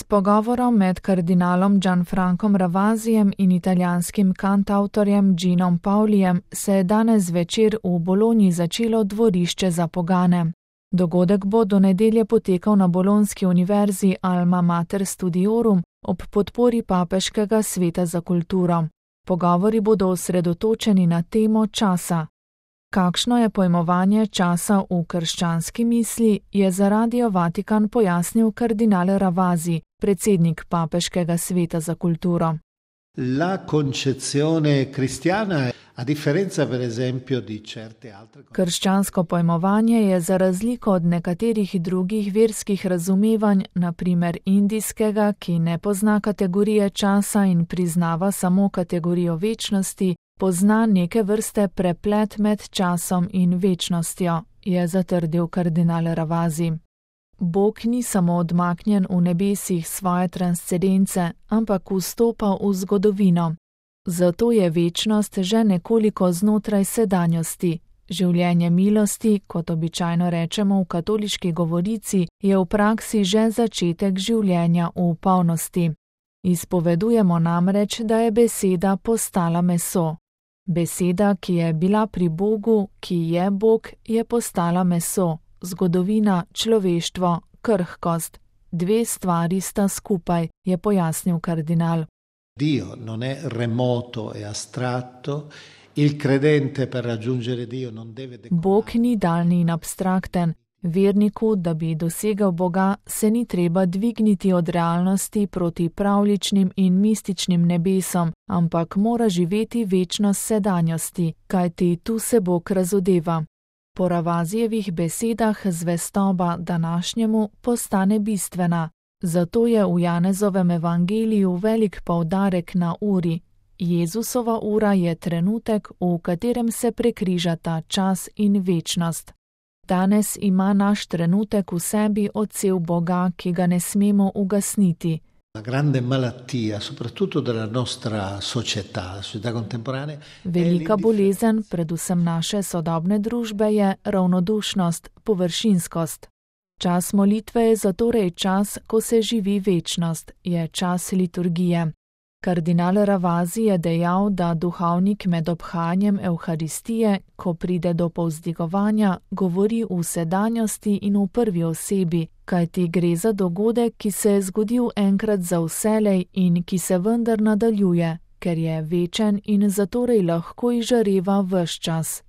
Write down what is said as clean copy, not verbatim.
pogovorom med kardinalom Gianfrancom Ravazijem in italijanskim kantavtorjem Ginom Paulijem se je danes zvečer v Bologni začelo dvorišče za pogane. Dogodek bo do nedelje potekal na bolonski univerzi Alma Mater Studiorum ob podpori Papeškega sveta za kulturo. Pogovori bodo osredotočeni na temo časa. Kakšno je pojmovanje časa v krščanski misli, je za Radio Vatikan pojasnil kardinal Ravasi, predsednik Papeškega sveta za kulturo. La concezione cristiana, a differenza per esempio di certe altre. Krščansko pojmovanje je za razliko od nekaterih drugih verskih razumevanj, na primer indijskega, ki ne pozna kategorije časa in priznava samo kategorijo večnosti, pozna neke vrste preplet med časom in večnostjo, je zatrdil kardinal Ravasi. Bog ni samo odmaknjen v nebesih svoje transcendence, ampak vstopa v zgodovino. Zato je večnost že nekoliko znotraj sedanjosti. Življenje milosti, kot običajno rečemo v katoliški govorici, je v praksi že začetek življenja v polnosti. Izpovedujemo namreč, da je beseda postala meso. Beseda, ki je bila pri Bogu, ki je Bog, je postala meso. Zgodovina, človeštvo, krhkost. Dve stvari sta skupaj, je pojasnil kardinal. Dio non è remoto e astratto, il credente per raggiungere Dio non deve decorare. Bog ni daljni in abstrakten. Verniku, da bi dosegel Boga, se ni treba dvigniti od realnosti proti pravličnim in mističnim nebesom, ampak mora živeti večnost sedanjosti, kajti tu se Bog razodeva. Po Ravazijevih besedah zvestoba današnjemu postane bistvena. Zato je v Janezovem evangeliju velik poudarek na uri. Jezusova ura je trenutek, v katerem se prekrižata čas in večnost. Danes ima naš trenutek v sebi odsev Boga, ki ga ne smemo ugasniti. La grande malattia, soprattutto della nostra società contemporanea. Velika bolezen, predvsem naše sodobne družbe, je ravnodušnost, površinskost. Čas molitve je zatorej čas, ko se živi večnost, je čas liturgije. Kardinal Ravasi je dejal, da duhovnik med obhajanjem Evharistije, ko pride do povzdigovanja, govori v sedanjosti in v prvi osebi, kajti gre za dogodek, ki se je zgodil enkrat za vselej in ki se vendar nadaljuje, ker je večen in zatorej lahko izžareva ves čas.